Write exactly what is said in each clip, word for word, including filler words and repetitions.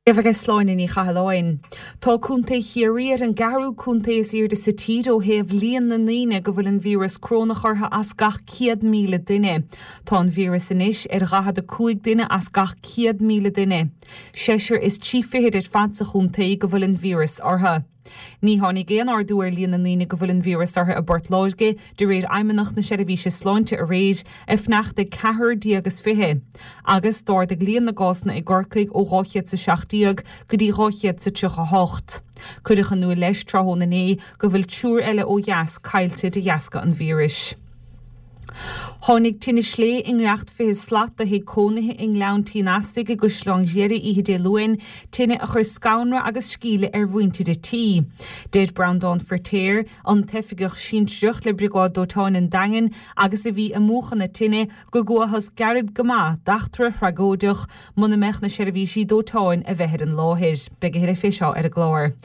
Aige Sláine Ní Chathalláin. Tá Contae Chiarraí ar an gceathrú contae is airde sa tír ó thaobh líon na ndaoine go bhfuil an víreas crónach orthu as gach céad míle duine. Tá an víreas anois ar dhaichead a cúig duine as gach céad míle duine. Seisear is trí fichid ar fad sa chontae go bhfuil an víreas orthu. Ní tháinig aon ardú ar líon na ndaoine go bhfuil an víreas orthu i bPort Láirge, de réir Fheidhmeannacht na Seirbhíse Sláinte aréir, ag fanacht ag ceathrar déag is fiche, agus d'ardaigh líon na gcásanna i gCorcaigh ó dhá chéad is a seacht déag go dtí dhá chéad is tríocha a hocht. Cuireadh in iúl leis tráthnóna inné go bhfuil triúr eile ó dheas caillte de dheasca an víris. Tháinig tine slé i ngiorracht fiche slat do thigh cónaithe i nGleann Tí an Easaigh i gCaisleán Ghriaire oíche Dé Luain, tine a chuir scanradh agus sceimhle ar mhuintir an tí. Deir Breandán Firtéar, an t-oifigeach sinsearach le Briogáid Dóiteáin an Daingin agus a bhí ag múchadh na tine, go gcuathas gairid go maith d'eachtra thragóideach muna mbeadh na seirbhísí dóiteáin a bheith ar an láthair. Beidh a thuilleadh fé seo ar an gclár.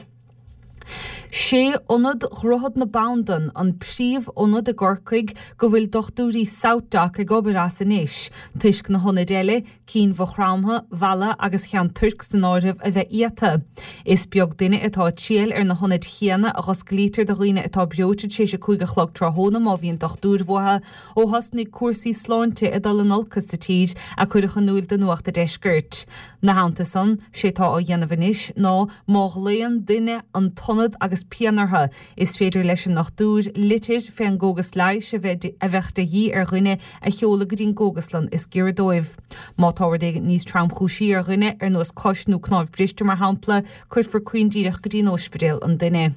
Sé Ionad Dhroichead na Bandan an príomh-ionad i gCorcaigh go bhfuil dochtúirí SouthDoc ag obair as anois, toisc na hionaid eile, cinn Mhaigh Chromtha, Mhalla agus Cheann Toirc san áireamh, a bheith iata. Is beag duine atá ag triall ar na hionaid chéanna a dh'osclaítear do dhaoine atá breoite tar éis a cúig a chlog tráthnóna má bhíonn dochtúir uathu, ó thosnaigh cúrsaí sláinte ag dul in olcas sa tír, a cuireadh in iúl do Nuacht a' Deiscirt. 'Na theannta san, sé tá á dhéanamh anois ná má ghlaonn duine an t-ionad agus pian orthu, is féidir leis an ndochtúir litir fén gcógas leighis a bheith a bheadh de dhíth ar dhuine a sheoladh go dtí an gcógaslann is giorra dóibh. Má tá rud éigin níos tromchúisí ar dhuine, ar nós cos nó cnámh briste mar shampla, cuirfear caoindíreach go dtí an óispidéal an duine.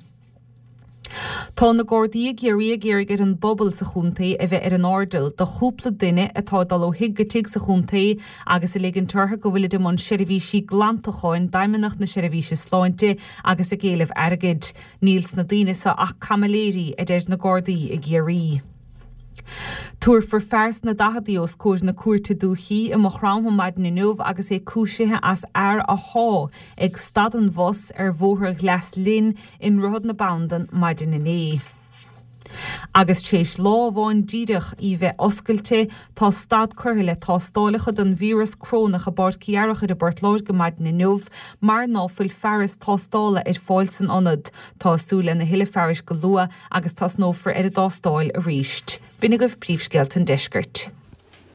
Tá na Gardaí i gCiarraí ag iarraidh ar an bpobal sa chontae a bheith ar an airdeall do chúpla duine atá ag dul ó thigh go tigh sa chontae agus ag ligint orthu go bhfuilid i mbun seirbhísí glantacháin d'Fheidhmeannacht na Seirbhíse Sláinte agus ag éileamh airgid. Níl sna daoine seo ach caimiléirí, a deir na Gardaí i gCiarraí. Tabharfar fear sna daicheadaí os comhair na Cúirte Dúichí i Maigh Chromtha maidin inniu agus é cúisithe as fhear a shá ag stad an bhus ar Bhóthar Ghleas Linn i nDroichead na Bandan maidin inné. Agus tar éis lá amháin díreach í bheith oscailte, tá stad curtha le tástálacha don víreas crónach i bPáirc Uí Fhearchair i bPort Láirge maidin inniu mar ná fuil fearas tástála ar fáil san ionad. Tá súil lena thuilleadh fearais go luath agus tosnófar ar an dtástáil arís. B'in agaibh príomhscéalta an deiscirt.